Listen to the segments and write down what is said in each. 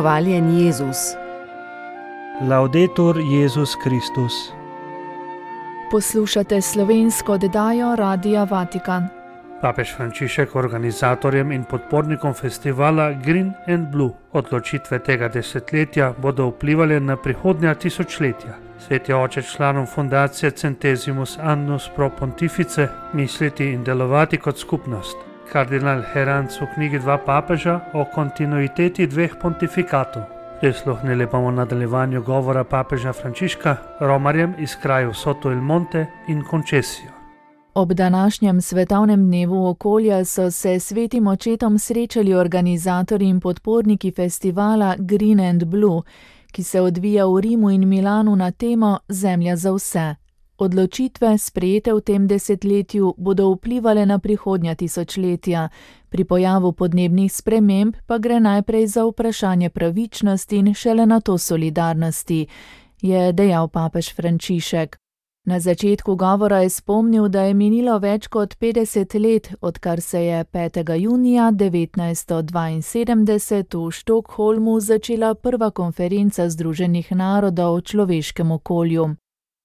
Hvaljen Jezus. Laudetur Jezus Kristus. Poslušate slovensko oddajo Radia Vatikan. Papež Frančišek organizatorjem in podpornikom festivala Green and Blue odločitve tega desetletja bodo vplivali na prihodnja tisočletja. Sveti oče članom fundacije Centesimus Annus Pro Pontifice misliti in delovati kot skupnost. Kardinal Heranc v knjigi Dva papeža o kontinuiteti dveh pontifikatov. Prisluhnili bomo nadaljevanju govora papeža Frančiška romarjem iz krajev Soto il Monte in Concesio. Ob današnjem svetovnem dnevu okolja so se svetim očetom srečali organizatorji in podporniki festivala Green and Blue, ki se odvija v Rimu in Milanu na temo Zemlja za vse. Odločitve, sprejete v tem desetletju, bodo vplivale na prihodnja tisočletja. Pri pojavu podnebnih sprememb pa gre najprej za vprašanje pravičnosti in šele nato solidarnosti, je dejal papež Frančišek. Na začetku govora je spomnil, da je minilo več kot 50 let, odkar se je 5. junija 1972 v Štokholmu začela prva konferenca Združenih narodov o človeškem okolju.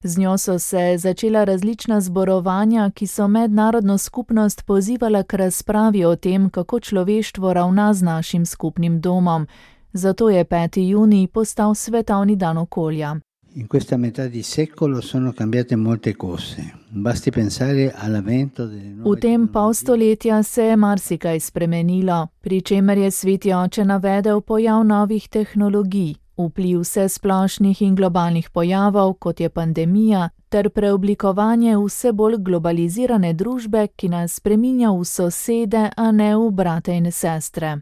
Z njo so se začela različna zborovanja, ki so mednarodno skupnost pozivala k razpravi o tem, kako človeštvo ravna z našim skupnim domom. Zato je 5. junij postal svetovni dan okolja. In questa metà di secolo sono cambiate molte cose. Basti pensare all'avvento delle nuove. V tem pol stoletja se je marsikaj spremenilo, pri čemer je sveti oče navedel pojav novih tehnologij, vpliv vsesplošnih in globalnih pojavov, kot je pandemija, ter preoblikovanje vse bolj globalizirane družbe, ki nas spreminja v sosede, a ne v brate in sestre.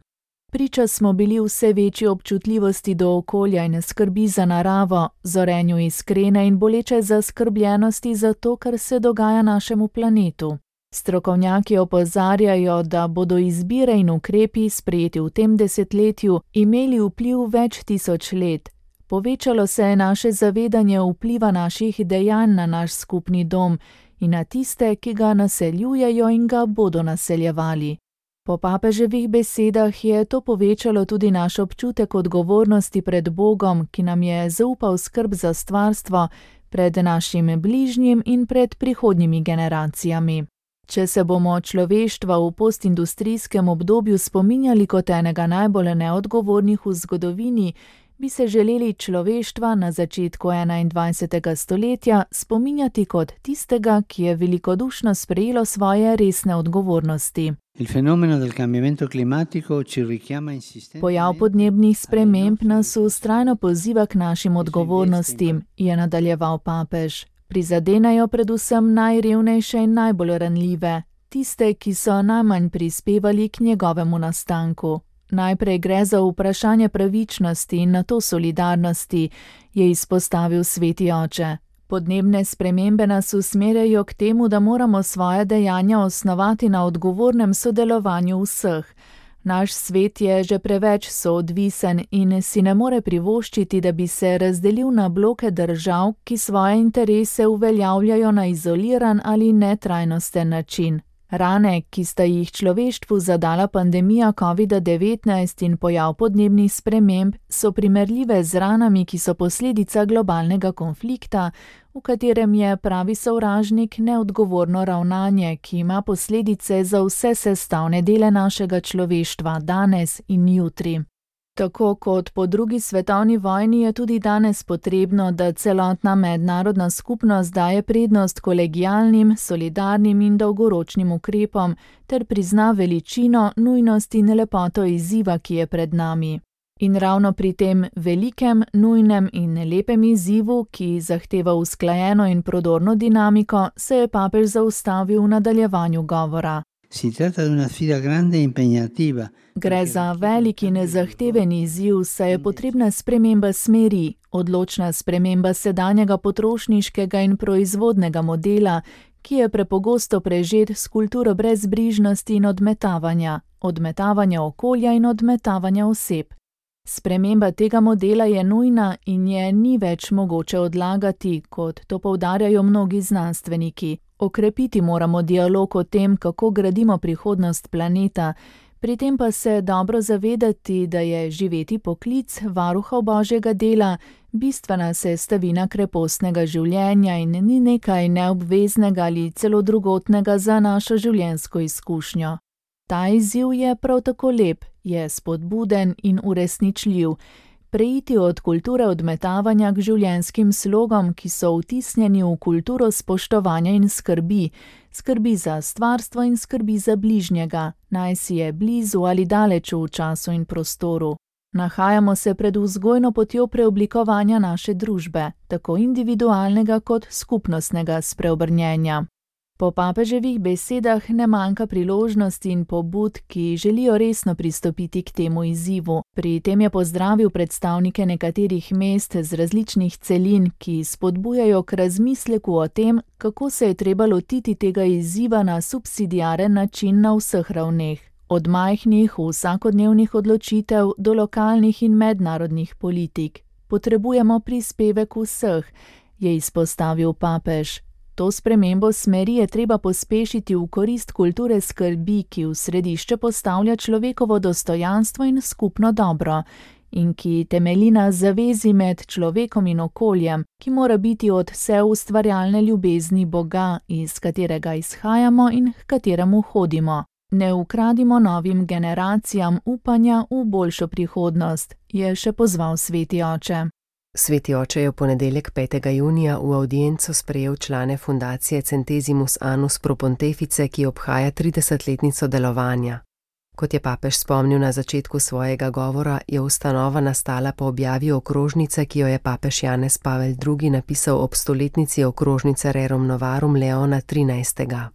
Priča smo bili vse večji občutljivosti do okolja in skrbi za naravo, zorenju iskrene in boleče zaskrbljenosti za to, kar se dogaja našemu planetu. Strokovnjaki opozarjajo, da bodo izbire in ukrepi, sprejeti v tem desetletju, imeli vpliv več tisoč let. Povečalo se je naše zavedanje vpliva naših dejanj na naš skupni dom in na tiste, ki ga naseljujejo in ga bodo naseljevali. Po papeževih besedah je to povečalo tudi naš občutek odgovornosti pred Bogom, ki nam je zaupal skrb za stvarstvo, pred našim bližnjim in pred prihodnjimi generacijami. Če se bomo človeštva v postindustrijskem obdobju spominjali kot enega najbolj neodgovornih v zgodovini, bi se želeli človeštva na začetku 21. stoletja spominjati kot tistega, ki je velikodušno sprejelo svoje resne odgovornosti. Pojav podnebnih sprememb nas vztrajno poziva k našim odgovornostim, je nadaljeval papež. Prizadenajo predvsem najrevnejše in najbolj ranljive, tiste, ki so najmanj prispevali k njegovemu nastanku. Najprej gre za vprašanje pravičnosti in nato solidarnosti, je izpostavil sveti oče. Podnebne spremembe nas usmerjajo k temu, da moramo svoje dejanja osnovati na odgovornem sodelovanju vseh. Naš svet je že preveč soodvisen in si ne more privoščiti, da bi se razdelil na bloke držav, ki svoje interese uveljavljajo na izoliran ali netrajnosten način. Rane, ki sta jih človeštvu zadala pandemija COVID-19 in pojav podnebnih sprememb, so primerljive z ranami, ki so posledica globalnega konflikta, v katerem je pravi sovražnik neodgovorno ravnanje, ki ima posledice za vse sestavne dele našega človeštva danes in jutri. Tako kot po drugi svetovni vojni je tudi danes potrebno, da celotna mednarodna skupnost daje prednost kolegialnim, solidarnim in dolgoročnim ukrepom ter prizna veličino, nujnost in lepoto izziva, ki je pred nami. In ravno pri tem velikem, nujnem in lepem izzivu, ki zahteva usklajeno in prodorno dinamiko, se je papež zaustavil v nadaljevanju govora. Gre za velik in zahteven izziv, saj je potrebna sprememba smeri, odločna sprememba sedanjega potrošniškega in proizvodnega modela, ki je prepogosto prežet s kulturo brezbrižnosti in odmetavanja okolja in odmetavanja oseb. Sprememba tega modela je nujna in je ni več mogoče odlagati, kot to poudarjajo mnogi znanstveniki. Okrepiti moramo dialog o tem, kako gradimo prihodnost planeta, Pri tem pa se dobro zavedati, da je živeti poklic varuha Božjega dela bistvena sestavina krepostnega življenja in ni nekaj neobveznega ali celo drugotnega za našo življenjsko izkušnjo. Ta izziv je prav tako lep, je spodbuden in uresničljiv. Preiti od kulture odmetavanja k življenjskim slogom, ki so vtisnjeni v kulturo spoštovanja in skrbi. Skrbi za stvarstvo in skrbi za bližnjega, naj si je blizu ali daleč v času in prostoru. Nahajamo se pred vzgojno potjo preoblikovanja naše družbe, tako individualnega kot skupnostnega spreobrnjenja. Po papeževih besedah ne manjka priložnosti in pobud, ki želijo resno pristopiti k temu izzivu. Pri tem je pozdravil predstavnike nekaterih mest z različnih celin, ki spodbujajo k razmisleku o tem, kako se je treba lotiti tega izziva na subsidiaren način na vseh ravneh. Od majhnih vsakodnevnih odločitev do lokalnih in mednarodnih politik. Potrebujemo prispevek vseh, je izpostavil papež. To spremembo smeri je treba pospešiti v korist kulture skrbi, ki v središče postavlja človekovo dostojanstvo in skupno dobro, in ki temelji na zavezi med človekom in okoljem, ki mora biti od vse ustvarjalne ljubezni Boga, iz katerega izhajamo in h kateremu hodimo. Ne ukradimo novim generacijam upanja v boljšo prihodnost, je še pozval sveti oče. Sveti oče je v ponedeljek 5. junija v audienco sprejel člane fundacije Centesimus Annus Pro Pontefice, ki obhaja 30-letnico delovanja. Kot je papež spomnil na začetku svojega govora, je ustanova nastala po objavi okrožnice, ki jo je papež Janez Pavel II. Napisal ob stoletnici okrožnice Rerum Novarum Leona XIII.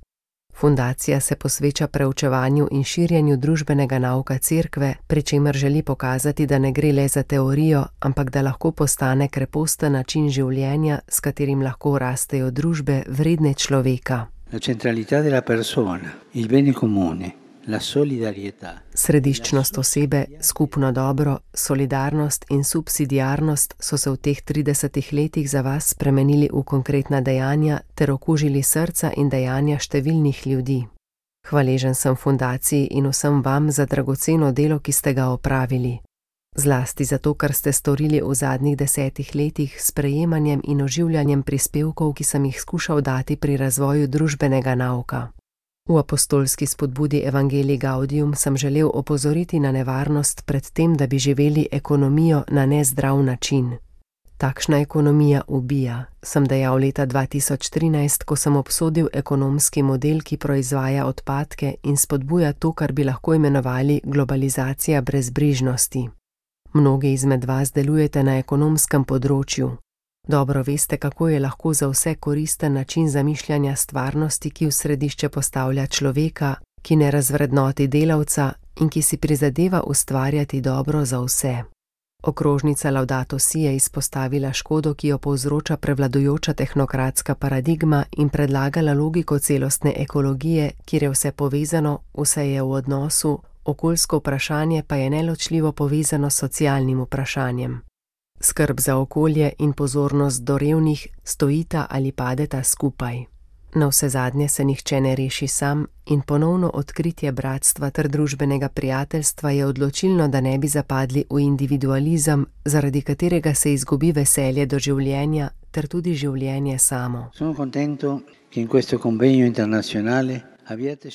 Fundacija se posveča preučevanju in širjenju družbenega nauka cerkve, pri čemer želi pokazati, da ne gre le za teorijo, ampak da lahko postane kreposten način življenja, s katerim lahko rastejo družbe vredne človeka. La centralità della persona, il bene comune, la solidarietà. Središčnost osebe, skupno dobro, solidarnost in subsidiarnost so se v teh 30 letih za vas spremenili v konkretna dejanja ter okužili srca in dejanja številnih ljudi. Hvaležen sem fundaciji in vsem vam za dragoceno delo, ki ste ga opravili. Zlasti zato, kar ste storili v zadnjih 10 letih s sprejemanjem in oživljanjem prispevkov, ki sem jih skušal dati pri razvoju družbenega nauka. V apostolski spodbudi Evangelii Gaudium sem želel opozoriti na nevarnost pred tem, da bi živeli ekonomijo na nezdrav način. Takšna ekonomija ubija, sem dejal leta 2013, ko sem obsodil ekonomski model, ki proizvaja odpadke in spodbuja to, kar bi lahko imenovali globalizacija brezbrižnosti. Mnogi izmed vas delujete na ekonomskem področju. Dobro veste, kako je lahko za vse koristen način zamišljanja stvarnosti, ki v središče postavlja človeka, ki ne razvrednoti delavca in ki si prizadeva ustvarjati dobro za vse. Okrožnica Laudato Si je izpostavila škodo, ki jo povzroča prevladujoča tehnokratska paradigma in predlagala logiko celostne ekologije, kjer je vse povezano, vse je v odnosu, okoljsko vprašanje pa je neločljivo povezano s socialnim vprašanjem. Skrb za okolje in pozornost do revnih stojita ali padeta skupaj. Navsezadnje se nihče ne reši sam in ponovno odkritje bratstva ter družbenega prijateljstva je odločilno, da ne bi zapadli v individualizem, zaradi katerega se izgubi veselje do življenja ter tudi življenje samo.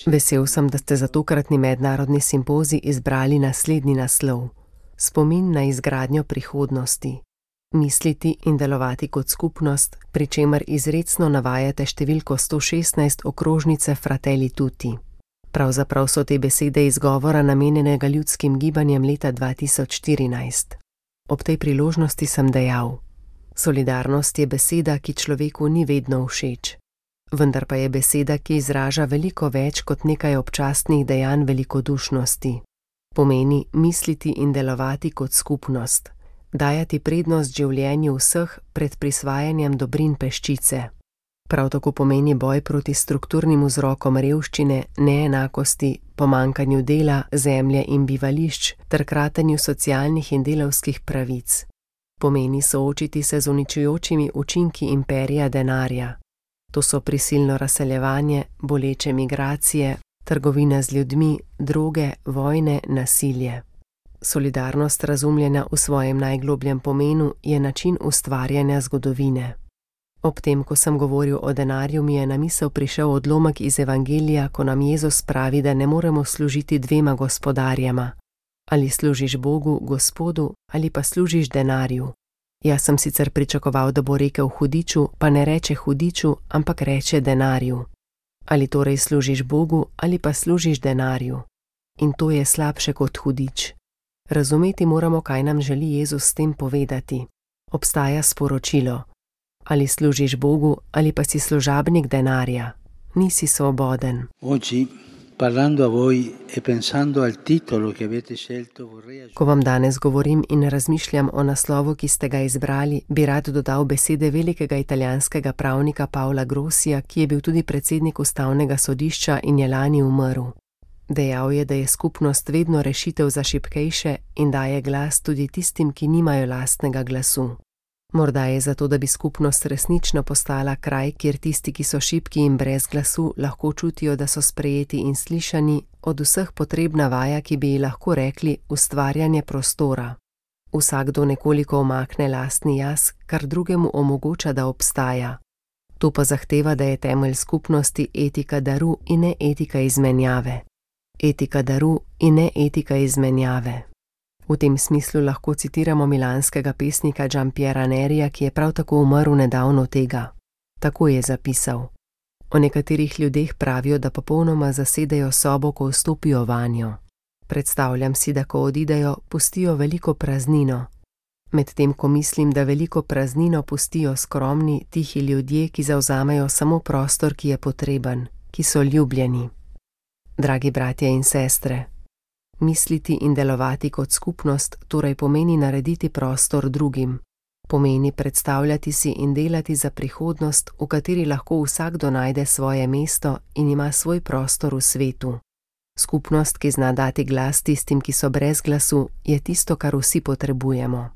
Vesel sem, da ste za tokratni mednarodni simpozij izbrali naslednji naslov: Spomin na izgradnjo prihodnosti. Misliti in delovati kot skupnost, pri čemer izrecno navajate številko 116 okrožnice Fratelli Tutti. Pravzaprav so te besede izgovora namenjenega ljudskim gibanjem leta 2014. Ob tej priložnosti sem dejal: solidarnost je beseda, ki človeku ni vedno všeč. Vendar pa je beseda, ki izraža veliko več kot nekaj občasnih dejanj velikodušnosti. Pomeni misliti in delovati kot skupnost, dajati prednost življenju vseh pred prisvajanjem dobrin peščice. Prav tako pomeni boj proti strukturnim vzrokom revščine, neenakosti, pomanjkanju dela, zemlje in bivališč ter kratenju socialnih in delavskih pravic. Pomeni soočiti se z uničujočimi učinki imperija denarja. To so prisilno razseljevanje, boleče migracije, Trgovina z ljudmi, droge, vojne, nasilje. Solidarnost, razumljena v svojem najglobljem pomenu, je način ustvarjanja zgodovine. Ob tem, ko sem govoril o denarju, mi je na misel prišel odlomek iz Evangelija, ko nam Jezus pravi, da ne moremo služiti dvema gospodarjema. Ali služiš Bogu, Gospodu, ali pa služiš denarju. Jaz sem sicer pričakoval, da bo rekel hudiču, pa ne reče hudiču, ampak reče denarju. Ali torej služiš Bogu, ali pa služiš denarju. In to je slabše kot hudič. Razumeti moramo, kaj nam želi Jezus s tem povedati. Obstaja sporočilo. Ali služiš Bogu, ali pa si služabnik denarja. Nisi svoboden. Ko vam danes govorim in razmišljam o naslovu, ki ste ga izbrali, bi rad dodal besede velikega italijanskega pravnika Pavla Grossija, ki je bil tudi predsednik ustavnega sodišča in je lani umrl. Dejal je, da je skupnost vedno rešitev za šibkejše in daje glas tudi tistim, ki nimajo lastnega glasu. Morda je zato, da bi skupnost resnično postala kraj, kjer tisti, ki so šibki in brez glasu, lahko čutijo, da so sprejeti in slišani, od vseh potrebna vaja, ki bi ji lahko rekli ustvarjanje prostora. Vsakdo nekoliko omakne lastni jaz, kar drugemu omogoča, da obstaja. To pa zahteva, da je temelj skupnosti etika daru in ne etika izmenjave. Etika daru in ne etika izmenjave. V tem smislu lahko citiramo milanskega pesnika Giampiera Nerija, ki je prav tako umrl nedavno tega. Tako je zapisal. O nekaterih ljudeh pravijo, da popolnoma zasedejo sobo, ko vstopijo vanjo. Predstavljam si, da ko odidejo, pustijo veliko praznino. Medtem ko mislim, da veliko praznino pustijo skromni, tihi ljudje, ki zavzamejo samo prostor, ki je potreben, ki so ljubljeni. Dragi bratje in sestre, misliti in delovati kot skupnost torej pomeni narediti prostor drugim. Pomeni predstavljati si in delati za prihodnost, v kateri lahko vsakdo najde svoje mesto in ima svoj prostor v svetu. Skupnost, ki zna dati glas tistim, ki so brez glasu, je tisto, kar vsi potrebujemo.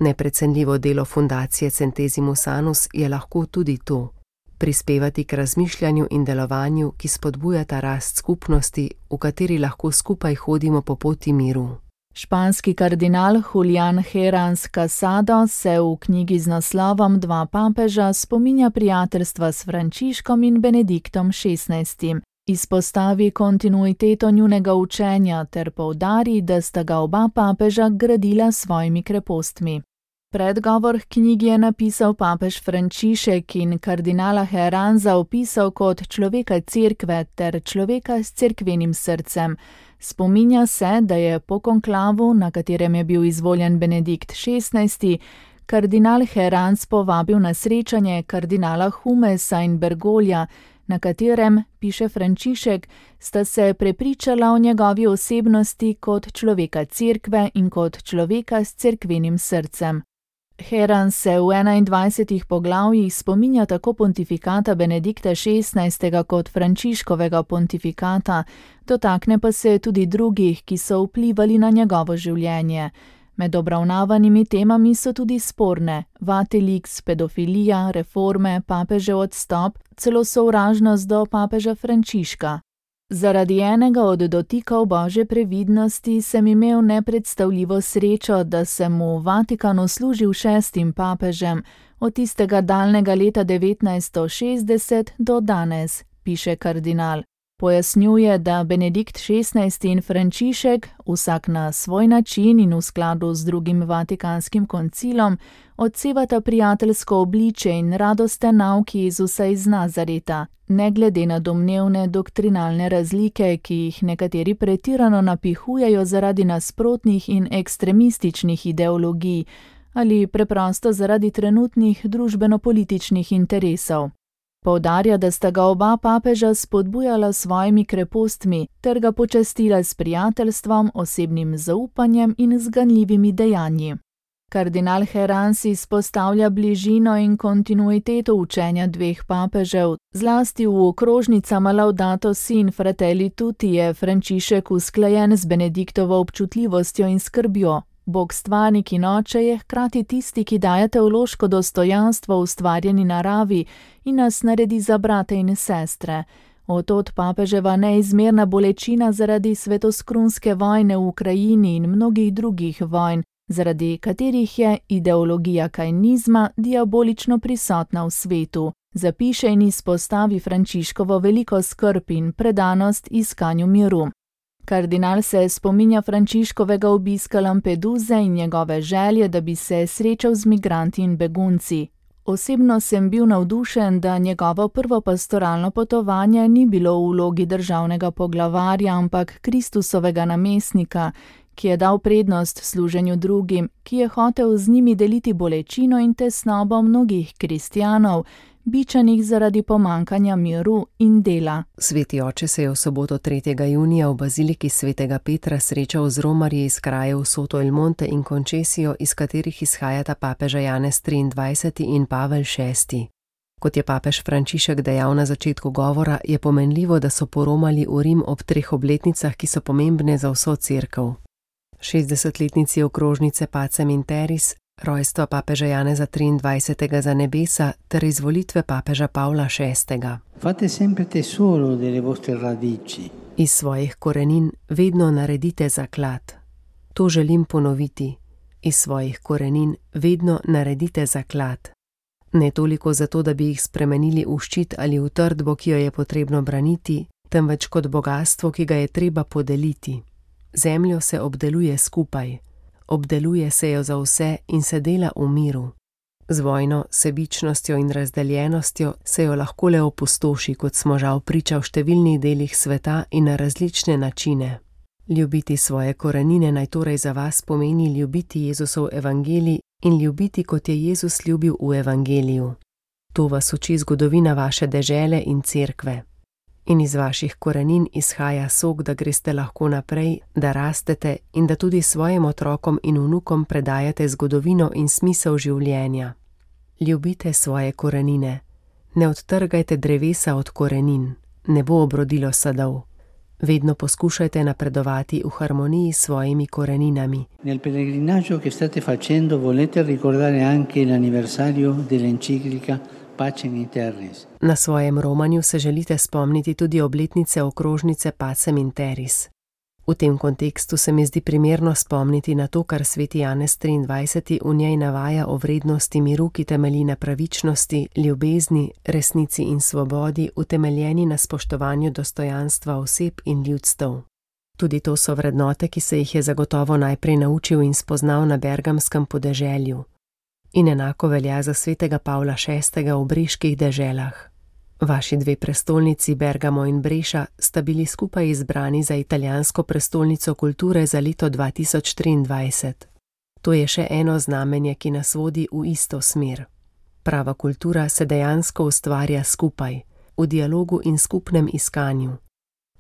Neprecenljivo delo fundacije Centesimus Annus je lahko tudi to. Prispevati k razmišljanju in delovanju, ki spodbujata rast skupnosti, v kateri lahko skupaj hodimo po poti miru. Španski kardinal Julián Herranz Casado se v knjigi z naslovom Dva papeža spominja prijateljstva s Frančiškom in Benediktom XVI. Izpostavi kontinuiteto njunega učenja ter poudari, da sta ga oba papeža gradila s svojimi krepostmi. Predgovor k knjigi je napisal papež Frančišek in kardinala Herranza opisal kot človeka cerkve ter človeka s cerkvenim srcem. Spominja se, da je po konklavu, na katerem je bil izvoljen Benedikt XVI., kardinal Herranz povabil na srečanje kardinala Humesa in Bergoglia, na katerem, piše Frančišek, sta se prepričala o njegovi osebnosti kot človeka cerkve in kot človeka s cerkvenim srcem. Herranz se v 21 poglavjih spominja tako pontifikata Benedikta XVI. Kot Frančiškovega pontifikata, dotakne pa se tudi drugih, ki so vplivali na njegovo življenje. Med obravnavanimi temami so tudi sporne: Vatilix, pedofilija, reforme, papežev odstop, celo sovražnost do papeža Frančiška. Zaradi enega od dotikov Božje previdnosti sem imel nepredstavljivo srečo, da sem v Vatikanu služil 6. papežem, od tistega daljnega leta 1960 do danes, piše kardinal. Pojasnjuje, da Benedikt XVI. In Frančišek, vsak na svoj način in v skladu z drugim Vatikanskim koncilom, odsevata prijateljsko obličje in radosten nauk Jezusa iz Nazareta, ne glede na domnevne doktrinalne razlike, ki jih nekateri pretirano napihujejo zaradi nasprotnih in ekstremističnih ideologij ali preprosto zaradi trenutnih družbeno-političnih interesov. Poudarja, da sta ga oba papeža spodbujala s svojimi krepostmi ter ga počastila s prijateljstvom, osebnim zaupanjem in zganljivimi dejanji. Kardinal Herranz izpostavlja bližino in kontinuiteto učenja dveh papežev, zlasti v okrožnicama Laudato Si in Fratelli Tutti je Frančišek usklajen z Benediktovo občutljivostjo in skrbjo. Bog stvarnik in oče je hkrati tisti, ki daje teološko dostojanstvo ustvarjeni naravi in nas naredi za brate in sestre. Od papeževa neizmerna bolečina zaradi svetoskrunske vojne v Ukrajini in mnogih drugih vojn, zaradi katerih je ideologija kainizma diabolično prisotna v svetu, zapiše in izpostavi Frančiškovo veliko skrb in predanost iskanju miru. Kardinal se spominja Frančiškovega obiska Lampeduze in njegove želje, da bi se srečal z migranti in begunci. Osebno sem bil navdušen, da njegovo prvo pastoralno potovanje ni bilo v vlogi državnega poglavarja, ampak Kristusovega namestnika, ki je dal prednost služenju drugim, ki je hotel z njimi deliti bolečino in tesnobo mnogih kristjanov, bičanih zaradi pomankanja miru in dela. Sveti oče se je v soboto 3. junija v baziliki svetega Petra srečal z romarji iz krajev Soto el Monte in Concesio, iz katerih izhajata papeža Janez 23. in Pavel VI. Kot je papež Frančišek dejal na začetku govora, je pomenljivo, da so poromali v Rim ob 3 obletnicah, ki so pomembne za vso cerkev. 60-letnici okrožnice Pacem in Terris, rojstva papeža Janeza 23. za nebesa ter izvolitve papeža Pavla VI. Fate sempre tesoro delle vostre radici. Iz svojih korenin vedno naredite zaklad. To želim ponoviti. Iz svojih korenin vedno naredite zaklad. Ne toliko zato, da bi jih spremenili v ščit ali v trdbo, ki jo je potrebno braniti, temveč kot bogastvo, ki ga je treba podeliti. Zemljo se obdeluje skupaj. Obdeluje se jo za vse in se dela v miru. Z vojno, sebičnostjo in razdeljenostjo se jo lahko le opustoši, kot smo žal priča v številnih delih sveta in na različne načine. Ljubiti svoje korenine naj torej za vas pomeni ljubiti Jezusov evangelij in ljubiti, kot je Jezus ljubil v evangeliju. To vas uči zgodovina vaše dežele in cerkve. In iz vaših korenin izhaja sok, da greste lahko naprej, da rastete in da tudi svojim otrokom in vnukom predajate zgodovino in smisel življenja. Ljubite svoje korenine. Ne odtrgajte drevesa od korenin. Ne bo obrodilo sadov. Vedno poskušajte napredovati v harmoniji s svojimi koreninami. Nel pellegrinaggio che state facendo volete ricordare anche l'anniversario dell'enciclica Pacem in Terris. Na svojem romanju se želite spomniti tudi obletnice okrožnice Pacem in Terris. V tem kontekstu se mi zdi primerno spomniti na to, kar sveti Janez 23. v njej navaja o vrednosti miru, ki temelji na pravičnosti, ljubezni, resnici in svobodi, utemeljeni na spoštovanju dostojanstva oseb in ljudstev. Tudi to so vrednote, ki se jih je zagotovo najprej naučil in spoznal na bergamskem podeželju. In enako velja za svetega Pavla VI. V breških deželah. Vaši 2 prestolnici, Bergamo in Breša, sta bili skupaj izbrani za italijansko prestolnico kulture za leto 2023. To je še eno znamenje, ki nas vodi v isto smer. Prava kultura se dejansko ustvarja skupaj, v dialogu in skupnem iskanju.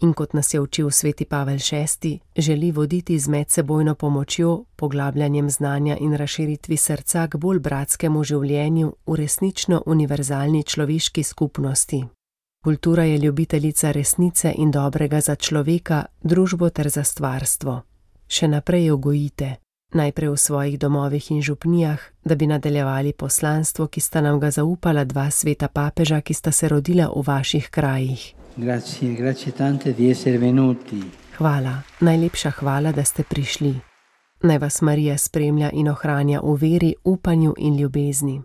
In kot nas je učil sveti Pavel VI., želi voditi z medsebojno pomočjo, poglabljanjem znanja in razširitvi srca k bolj bratskemu življenju v resnično univerzalni človeški skupnosti. Kultura je ljubiteljica resnice in dobrega za človeka, družbo ter za stvarstvo. Še naprej jo gojite, najprej v svojih domovih in župnijah, da bi nadaljevali poslanstvo, ki sta nam ga zaupala 2 sveta papeža, ki sta se rodila v vaših krajih. Grazie tante di essere venuti. Hvala, najlepša hvala, da ste prišli. Naj vas Marija spremlja in ohranja v veri, upanju in ljubezni.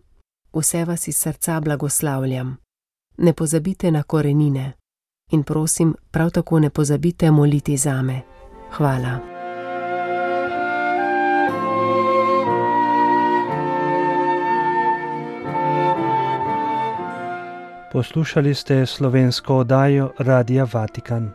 Vse vas iz srca blagoslavljam. Ne pozabite na korenine. In prosim, prav tako ne pozabite moliti zame. Hvala. Poslušali ste slovensko oddajo Radia Vatikan.